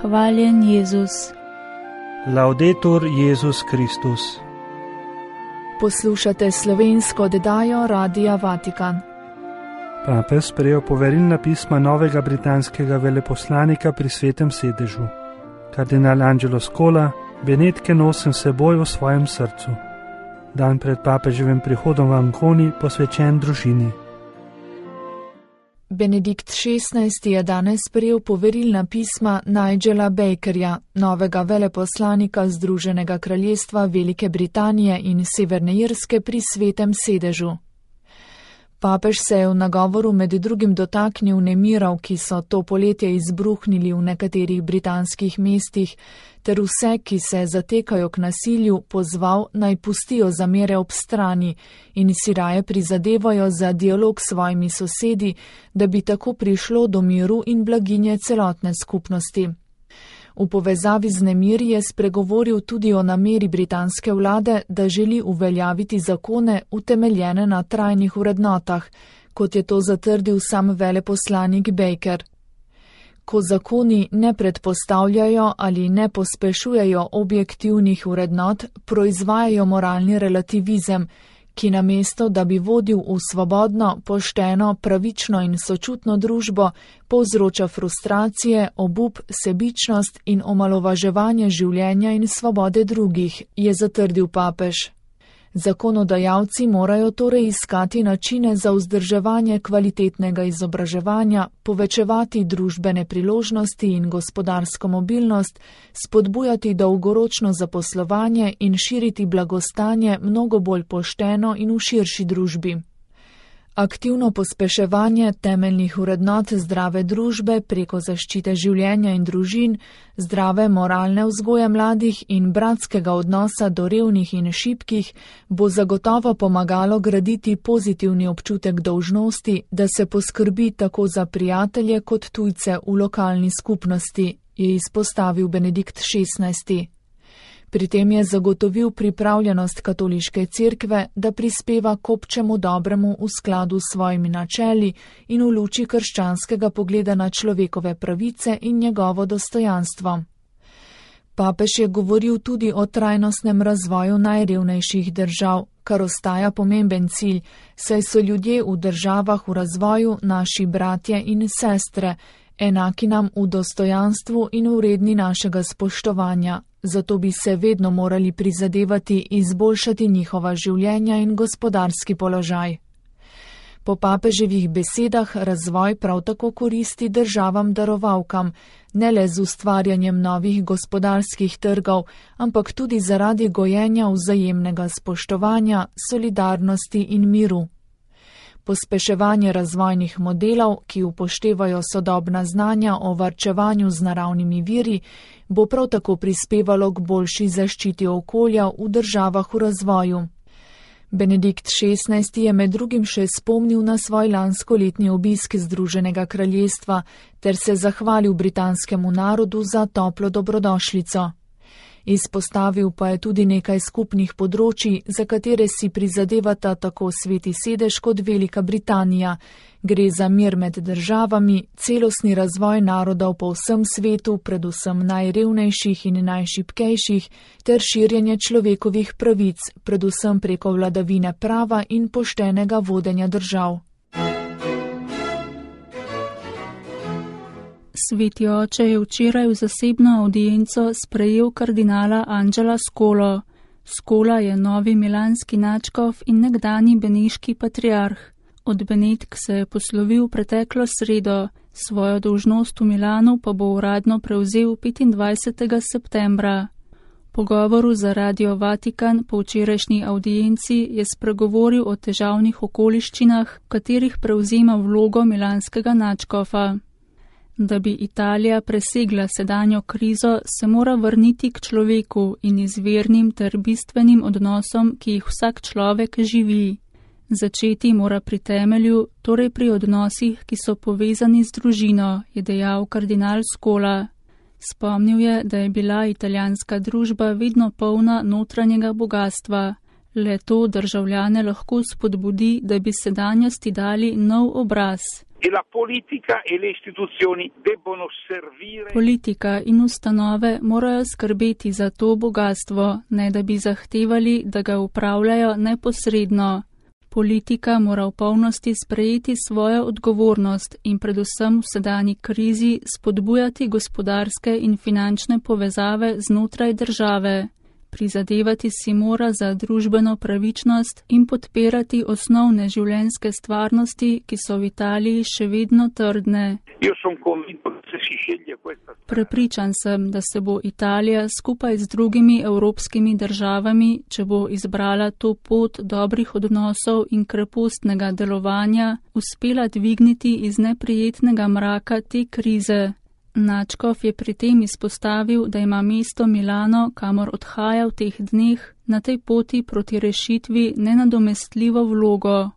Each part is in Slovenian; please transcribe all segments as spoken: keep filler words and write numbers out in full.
Hvaljen Jezus. Laudetur Jezus Kristus. Poslušate slovensko oddajo Radia Vatikan. Papež sprejel poverilna pisma novega britanskega veleposlanika pri Svetem sedežu. Kardinal Angelo Scola benedike nosim seboj v svojem srcu. Dan pred papeževim prihodom v Anconi posvečen družini. Benedikt šestnajsti je danes sprejel poverilna pisma Nigela Bakerja, novega veleposlanika Združenega kraljestva Velike Britanije in Severne Irske pri Svetem sedežu. Papež se je v nagovoru med drugim dotaknil nemirov, ki so to poletje izbruhnili v nekaterih britanskih mestih, ter vse, ki se zatekajo k nasilju, pozval naj pustijo zamere ob strani in si raje prizadevajo za dialog s svojimi sosedi, da bi tako prišlo do miru in blaginje celotne skupnosti. V povezavi z nemiri je spregovoril tudi o nameri britanske vlade, da želi uveljaviti zakone utemeljene na trajnih vrednotah, kot je to zatrdil sam veleposlanik Baker. Ko zakoni ne predpostavljajo ali ne pospešujejo objektivnih vrednot, proizvajajo moralni relativizem, ki namesto, da bi vodil v svobodno, pošteno, pravično in sočutno družbo, povzroča frustracije, obup, sebičnost in omalovaževanje življenja in svobode drugih, je zatrdil papež. Zakonodajalci morajo torej iskati načine za vzdrževanje kvalitetnega izobraževanja, povečevati družbene priložnosti in gospodarsko mobilnost, spodbujati dolgoročno zaposlovanje in širiti blagostanje mnogo bolj pošteno in v širši družbi. Aktivno pospeševanje temeljnih vrednot zdrave družbe preko zaščite življenja in družin, zdrave moralne vzgoje mladih in bratskega odnosa do revnih in šibkih bo zagotovo pomagalo graditi pozitivni občutek dolžnosti, da se poskrbi tako za prijatelje kot tujce v lokalni skupnosti, je izpostavil Benedikt šestnajsti. Pri tem je zagotovil pripravljenost katoliške cerkve, da prispeva k občemu dobremu v skladu s svojimi načeli in v luči krščanskega pogleda na človekove pravice in njegovo dostojanstvo. Papež je govoril tudi o trajnostnem razvoju najrevnejših držav, kar ostaja pomemben cilj, saj so ljudje v državah v razvoju naši bratje in sestre, enaki nam v dostojanstvu in vredni našega spoštovanja. Zato bi se vedno morali prizadevati izboljšati njihova življenja in gospodarski položaj. Po papeževih besedah razvoj prav tako koristi državam darovalkam, ne le z ustvarjanjem novih gospodarskih trgov, ampak tudi zaradi gojenja vzajemnega spoštovanja, solidarnosti in miru. Pospeševanje razvojnih modelov, ki upoštevajo sodobna znanja o varčevanju z naravnimi viri, bo prav tako prispevalo k boljši zaščiti okolja v državah v razvoju. Benedikt šestnajsti je med drugim še spomnil na svoj lanskoletni obisk Združenega kraljestva ter se zahvalil britanskemu narodu za toplo dobrodošlico. Izpostavil pa je tudi nekaj skupnih področji, za katere si prizadevata tako Sveti sedež kot Velika Britanija. Gre za mir med državami, celostni razvoj narodov po vsem svetu, predvsem najrevnejših in najšibkejših, ter širjenje človekovih pravic, predvsem preko vladavine prava in poštenega vodenja držav. Sveti oče je včeraj v zasebno avdienco sprejel kardinala Angela Scolo. Scola je novi milanski nadškof in nekdanji beneški patriarh. Od Benedk se je poslovil preteklo sredo, svojo dolžnost v Milanu pa bo uradno prevzel petindvajsetega septembra. Po govoru za Radio Vatikan po včerajšnji avdienci je spregovoril o težavnih okoliščinah, v katerih prevzema vlogo milanskega nadškofa. Da bi Italija presegla sedanjo krizo, se mora vrniti k človeku in izvirnim ter bistvenim odnosom, ki jih vsak človek živi. Začeti mora pri temelju, torej pri odnosih, ki so povezani z družino, je dejal kardinal Scola. Spomnil je, da je bila italijanska družba vedno polna notranjega bogatstva. Le to državljane lahko spodbudi, da bi sedanjosti dali nov obraz. e la politica e le istituzioni debbono servire. Politika in ustanove morajo skrbeti za to bogatstvo, ne da bi zahtevali, da ga upravljajo neposredno. Politika mora v polnosti sprejeti svojo odgovornost in predvsem v sedanji krizi spodbujati gospodarske in finančne povezave znotraj države. Prizadevati si mora za družbeno pravičnost in podpirati osnovne življenjske stvarnosti, ki so v Italiji še vedno trdne. Prepričan sem, da se bo Italija skupaj z drugimi evropskimi državami, če bo izbrala to pot dobrih odnosov in krepostnega delovanja, uspela dvigniti iz neprijetnega mraka te krize. Načkov je pri tem izpostavil, da ima mesto Milano, kamor odhaja v teh dneh, na tej poti proti rešitvi nenadomestljivo vlogo.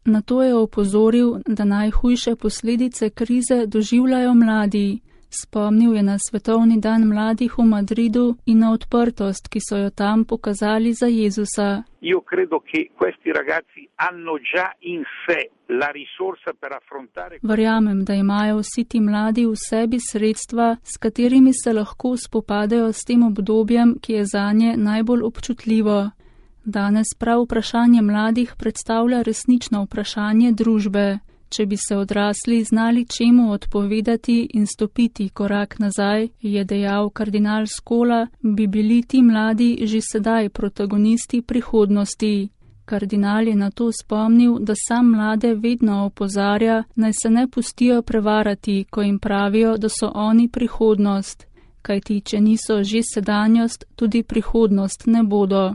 Na to je opozoril, da najhujše posledice krize doživljajo mladi. Spomnil je na Svetovni dan mladih v Madridu in na odprtost, ki so jo tam pokazali za Jezusa. Io credo che questi ragazzi hanno già in sé la risorsa per affrontare. Verjamem, da imajo vsi ti mladi v sebi sredstva, s katerimi se lahko spopadajo s tem obdobjem, ki je zanje najbolj občutljivo. Danes prav vprašanje mladih predstavlja resnično vprašanje družbe. Če bi se odrasli znali čemu odpovedati in stopiti korak nazaj, je dejal kardinal Scola, bi bili ti mladi že sedaj protagonisti prihodnosti. Kardinal je na to spomnil, da sam mlade vedno opozarja, naj se ne pustijo prevarati, ko jim pravijo, da so oni prihodnost, kajti če niso že sedanjost, tudi prihodnost ne bodo.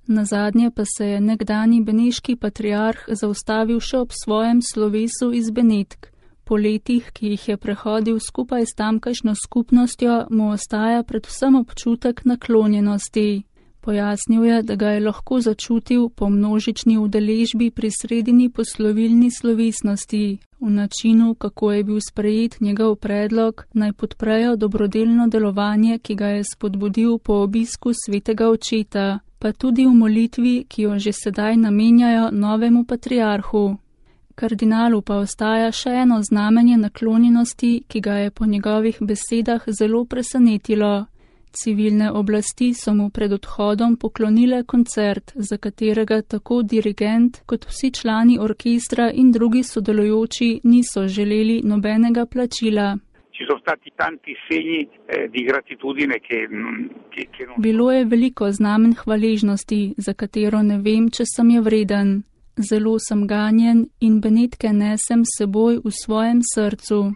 Nazadnje pa se je nekdani beneški patriarh zaustavil še ob svojem slovesu iz Benetk. Po letih, ki jih je prehodil skupaj s tamkajšnjo skupnostjo, mu ostaja predvsem občutek naklonjenosti. Pojasnil je, da ga je lahko začutil po množični udeležbi pri sredini poslovilni slovesnosti, v načinu, kako je bil sprejet njegov predlog, naj podprejo dobrodelno delovanje, ki ga je spodbudil po obisku svetega očeta, pa tudi v molitvi, ki jo že sedaj namenjajo novemu patriarhu. Kardinalu pa ostaja še eno znamenje naklonjenosti, ki ga je po njegovih besedah zelo presenetilo. Civilne oblasti so mu pred odhodom poklonile koncert, za katerega tako dirigent kot vsi člani orkestra in drugi sodelujoči niso želeli nobenega plačila. Bilo je veliko znamen hvaležnosti, za katero ne vem, če sem je vreden. Zelo sem ganjen in Benetke nesem s seboj v svojem srcu.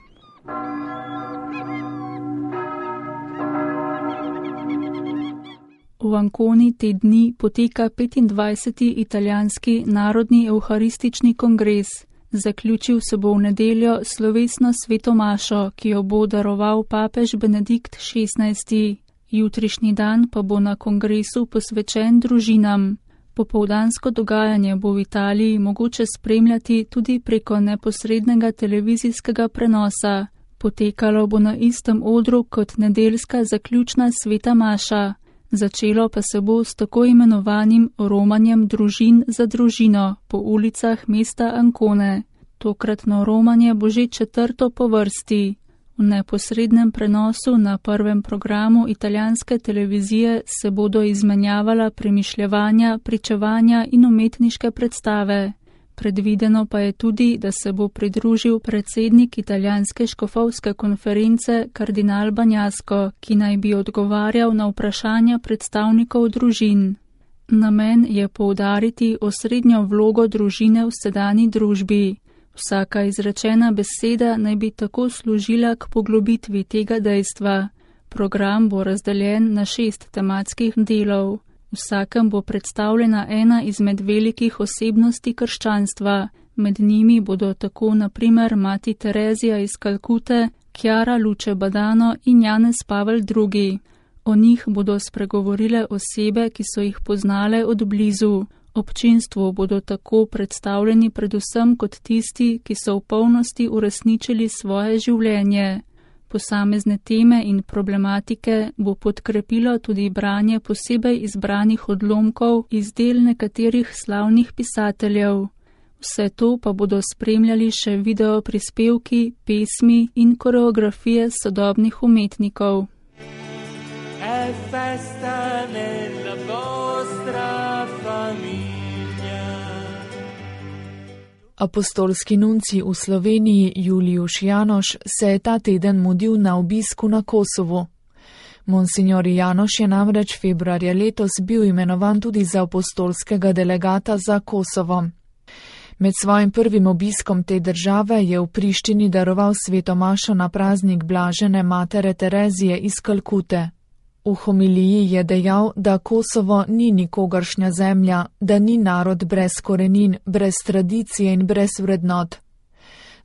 V Anconi te dni poteka petindvajseti italijanski narodni evharistični kongres. Zaključil se bo v nedeljo slovesno sveto mašo, ki jo bo daroval papež Benedikt šestnajsti. Jutrišnji dan pa bo na kongresu posvečen družinam. Popoldansko dogajanje bo v Italiji mogoče spremljati tudi preko neposrednega televizijskega prenosa. Potekalo bo na istem odru kot nedeljska zaključna sveta maša. Začelo pa se bo s tako imenovanim romanjem družin za družino po ulicah mesta Ancone. Tokratno romanje bo že četrto po vrsti. V neposrednem prenosu na prvem programu italijanske televizije se bodo izmenjavala premišljevanja, pričevanja in umetniške predstave. Predvideno pa je tudi, da se bo pridružil predsednik italijanske škofovske konference kardinal Bagnasco, ki naj bi odgovarjal na vprašanja predstavnikov družin. Namen je poudariti osrednjo vlogo družine v sedanji družbi. Vsaka izrečena beseda naj bi tako služila k poglobitvi tega dejstva. Program bo razdeljen na šest tematskih delov. Vsakem bo predstavljena ena izmed velikih osebnosti krščanstva. Med njimi bodo tako na primer mati Terezija iz Kalkute, Chiara Luce Badano in Janez Pavel drugi. O njih bodo spregovorile osebe, ki so jih poznale od blizu. Občinstvu bodo tako predstavljeni predvsem kot tisti, ki so v polnosti uresničili svoje življenje. Posamezne teme in problematike bo podkrepilo tudi branje posebej izbranih odlomkov iz del nekaterih slavnih pisateljev. Vse to pa bodo spremljali še video prispevki, pesmi in koreografije sodobnih umetnikov. È festa nella vostra famiglia. Apostolski nuncij v Sloveniji Juliuš Janoš se je ta teden mudil na obisku na Kosovu. Monsignor Janoš je namreč februarja letos bil imenovan tudi za apostolskega delegata za Kosovo. Med svojim prvim obiskom te države je v Prištini daroval sveto mašo na praznik blažene matere Terezije iz Kalkute. V homiliji je dejal, da Kosovo ni nikogaršnja zemlja, da ni narod brez korenin, brez tradicije in brez vrednot.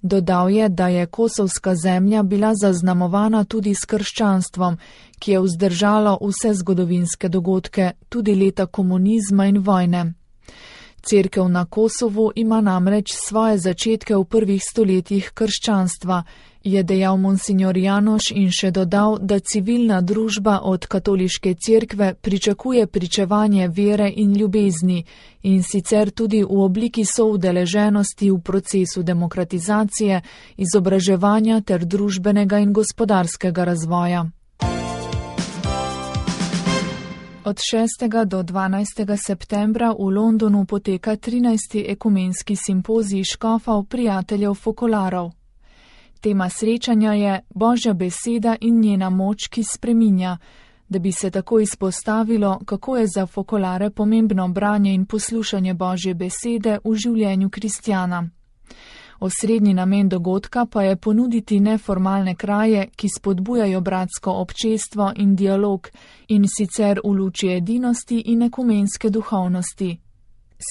Dodal je, da je kosovska zemlja bila zaznamovana tudi s krščanstvom, ki je vzdržalo vse zgodovinske dogodke, tudi leta komunizma in vojne. Cerkev na Kosovu ima namreč svoje začetke v prvih stoletjih krščanstva, je dejal monsignor Janoš in še dodal, da civilna družba od katoliške cerkve pričakuje pričevanje vere in ljubezni in sicer tudi v obliki soudeleženosti v procesu demokratizacije, izobraževanja ter družbenega in gospodarskega razvoja. Od šestega do dvanajstega septembra v Londonu poteka trinajsti ekumenski simpozij škofov prijateljev fokolarov. Tema srečanja je Božja beseda in njena moč, ki spreminja, da bi se tako izpostavilo, kako je za fokolare pomembno branje in poslušanje Božje besede v življenju kristjana. Osrednji namen dogodka pa je ponuditi neformalne kraje, ki spodbujajo bratsko občestvo in dialog, in sicer v luči edinosti in ekumenske duhovnosti.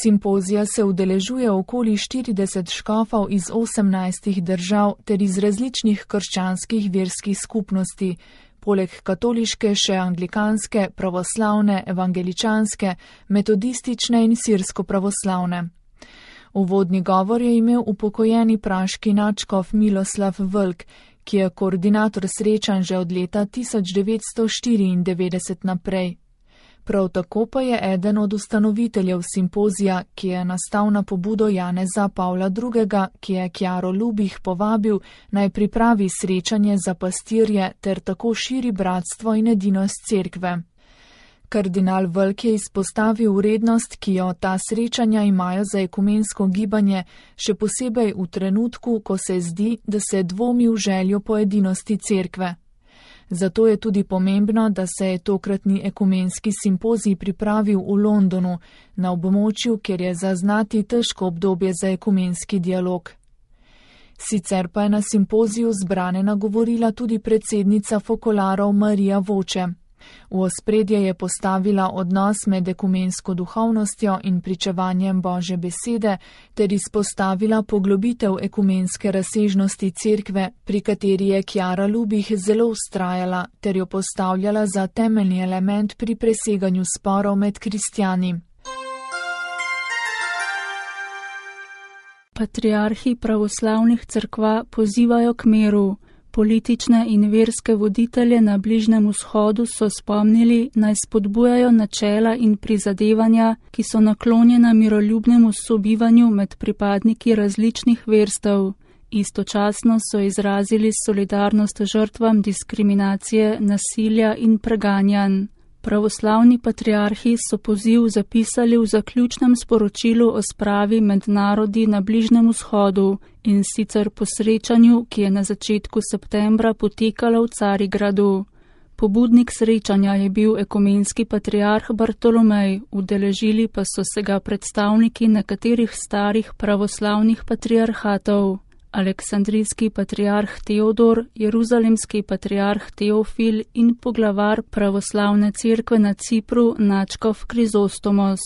Simpozija se udeležuje okoli štirideset škofov iz osemnajstih držav ter iz različnih krščanskih verskih skupnosti, poleg katoliške še anglikanske, pravoslavne, evangeličanske, metodistične in sirsko-pravoslavne. Uvodni govor je imel upokojeni praški nadškof Miloslav Vlk, ki je koordinator srečanj že od leta tisoč devetsto štiriindevetdeset naprej. Prav tako pa je eden od ustanoviteljev simpozija, ki je nastal na pobudo Janeza Pavla drugega, ki je Kjaro Lubih povabil, naj pripravi srečanje za pastirje ter tako širi bratstvo in edinost cerkve. Kardinal Vlk je izpostavil vrednost, ki jo ta srečanja imajo za ekumensko gibanje, še posebej v trenutku, ko se zdi, da se dvomi v željo po edinosti cerkve. Zato je tudi pomembno, da se je tokratni ekumenski simpozij pripravil v Londonu, na območju, kjer je zaznati težko obdobje za ekumenski dialog. Sicer pa je na simpoziju zbrane nagovorila tudi predsednica fokolarov Marija Voče. V ospredje je postavila odnos med ekumensko duhovnostjo in pričevanjem Božje besede ter izpostavila poglobitev ekumenske razsežnosti cerkve, pri kateri je Kjara Lubih zelo vztrajala ter jo postavljala za temeljni element pri preseganju sporov med kristjani. Patriarhi pravoslavnih cerkva pozivajo k miru. Politične in verske voditelje na Bližnjem vzhodu so spomnili, naj spodbujajo načela in prizadevanja, ki so naklonjena miroljubnemu sobivanju med pripadniki različnih verstev. Istočasno so izrazili solidarnost žrtvam diskriminacije, nasilja in preganjanj. Pravoslavni patriarhi so poziv zapisali v zaključnem sporočilu o spravi med narodi na Bližnjem vzhodu in sicer po srečanju, ki je na začetku septembra potekalo v Carigradu. Pobudnik srečanja je bil ekumenski patriarh Bartolomej, udeležili pa so se ga predstavniki nekaterih starih pravoslavnih patriarhatov. Aleksandrijski patriarh Teodor, jeruzalemski patriarh Teofil in poglavar pravoslavne cerkve na Cipru nadškof Krizostomos.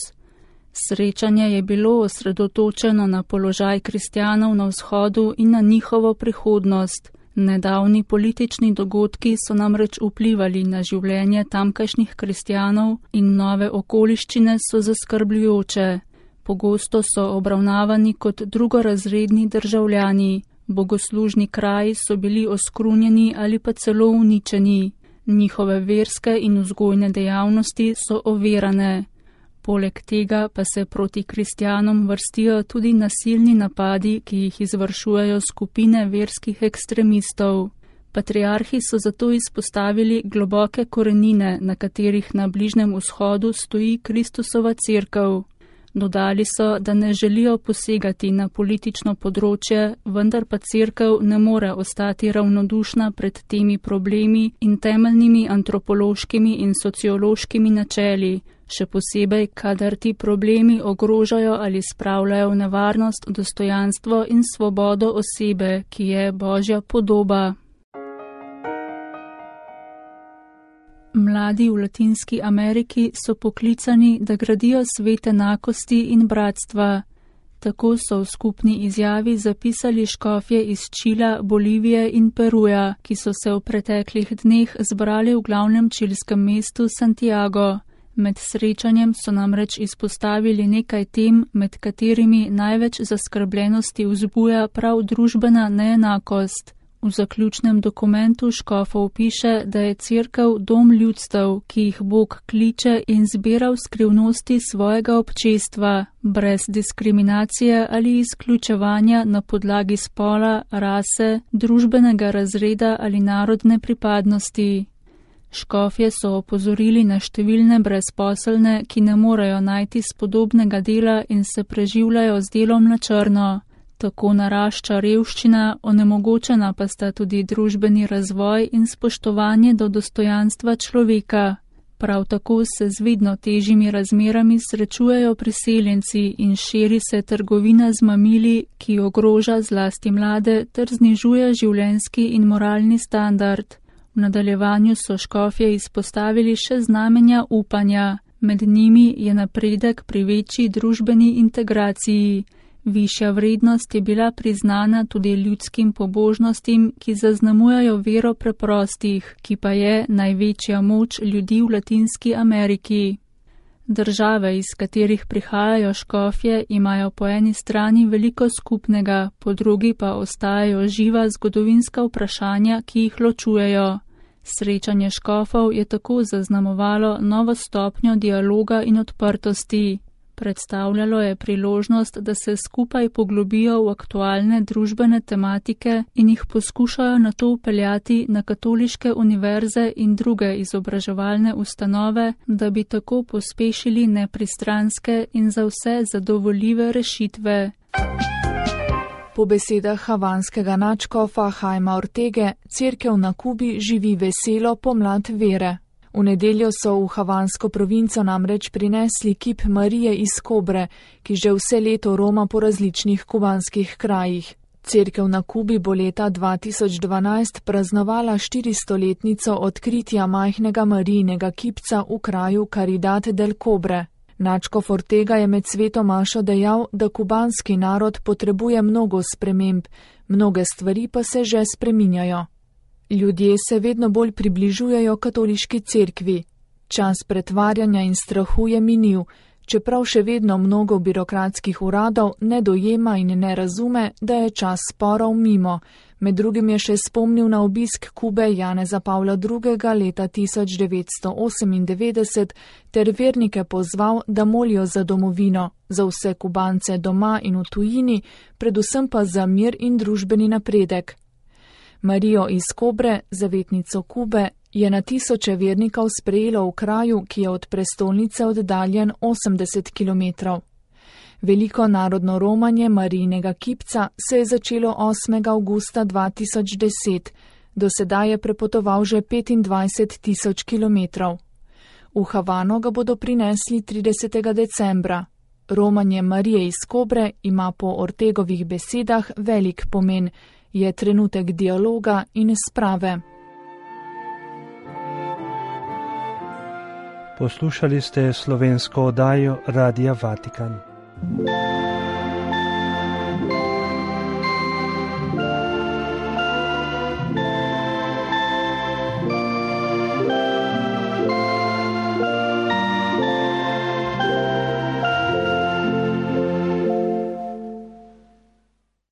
Srečanje je bilo osredotočeno na položaj kristjanov na vzhodu in na njihovo prihodnost. Nedavni politični dogodki so namreč vplivali na življenje tamkajšnjih kristjanov in nove okoliščine so zaskrbljujoče. Pogosto so obravnavani kot drugorazredni državljani, bogoslužni kraji so bili oskrunjeni ali pa celo uničeni, njihove verske in vzgojne dejavnosti so ovirane. Poleg tega pa se proti kristjanom vrstijo tudi nasilni napadi, ki jih izvršujejo skupine verskih ekstremistov. Patriarhi so zato izpostavili globoke korenine, na katerih na Bližnjem vzhodu stoji Kristusova cerkev. Dodali so, da ne želijo posegati na politično področje, vendar pa cerkev ne more ostati ravnodušna pred temi problemi in temeljnimi antropološkimi in sociološkimi načeli, še posebej, kadar ti problemi ogrožajo ali spravljajo v nevarnost dostojanstvo in svobodo osebe, ki je Božja podoba. Mladi v Latinski Ameriki so poklicani, da gradijo svet enakosti in bratstva. Tako so v skupni izjavi zapisali škofje iz Čila, Bolivije in Peruja, ki so se v preteklih dneh zbrali v glavnem čilskem mestu Santiago. Med srečanjem so namreč izpostavili nekaj tem, med katerimi največ zaskrbljenosti vzbuja prav družbena neenakost. V zaključnem dokumentu škofov piše, da je cerkev dom ljudstev, ki jih Bog kliče in zbira v skrivnosti svojega občestva, brez diskriminacije ali izključevanja na podlagi spola, rase, družbenega razreda ali narodne pripadnosti. Škofje so opozorili na številne brezposelne, ki ne morejo najti spodobnega dela in se preživljajo z delom na črno. Tako narašča revščina, onemogočena pa sta tudi družbeni razvoj in spoštovanje do dostojanstva človeka. Prav tako se z vedno težjimi razmerami srečujejo priseljenci in širi se trgovina z mamili, ki ogroža zlasti mlade ter znižuje življenjski in moralni standard. V nadaljevanju so škofje izpostavili še znamenja upanja. Med njimi je napredek pri večji družbeni integraciji. Višja vrednost je bila priznana tudi ljudskim pobožnostim, ki zaznamujajo vero preprostih, ki pa je največja moč ljudi v Latinski Ameriki. Države, iz katerih prihajajo škofje, imajo po eni strani veliko skupnega, po drugi pa ostajajo živa zgodovinska vprašanja, ki jih ločujejo. Srečanje škofov je tako zaznamovalo novo stopnjo dialoga in odprtosti. Predstavljalo je priložnost, da se skupaj poglobijo v aktualne družbene tematike in jih poskušajo nato upeljati na katoliške univerze in druge izobraževalne ustanove, da bi tako pospešili nepristranske in za vse zadovoljive rešitve. Po besedah havanskega nadškofa Jaima Ortege, cerkev na Kubi živi veselo pomlad vere. V nedeljo so v havansko provinco namreč prinesli kip Marije iz Kobre, ki že vse leto roma po različnih kubanskih krajih. Cerkev na Kubi bo leta dva tisoč dvanajst praznovala štiristoletnico odkritja majhnega Marijinega kipca v kraju Caridad del Cobre. Nadškof Ortega je med sveto mašo dejal, da kubanski narod potrebuje mnogo sprememb, mnoge stvari pa se že spreminjajo. Ljudje se vedno bolj približujejo katoliški cerkvi. Čas pretvarjanja in strahu je minil, čeprav še vedno mnogo birokratskih uradov ne dojema in ne razume, da je čas sporov mimo. Med drugim je še spomnil na obisk Kube Janeza Pavla drugega leta tisoč devetsto osemindevetdeset ter vernike pozval, da molijo za domovino, za vse Kubance doma in v tujini, predvsem pa za mir in družbeni napredek. Marijo iz Kobre, zavetnico Kube, je na tisoče vernikov sprejelo v kraju, ki je od prestolnice oddaljen osemdeset kilometrov. Veliko narodno romanje Marijinega kipca se je začelo osmega avgusta dva tisoč deset, do sedaj je prepotoval že petindvajset tisoč kilometrov. V Havano ga bodo prinesli tridesetega decembra. Romanje Marije iz Kobre ima po Ortegovih besedah velik pomen, je trenutek dialoga in sprave. Poslušali ste slovensko oddajo Radia Vatikan.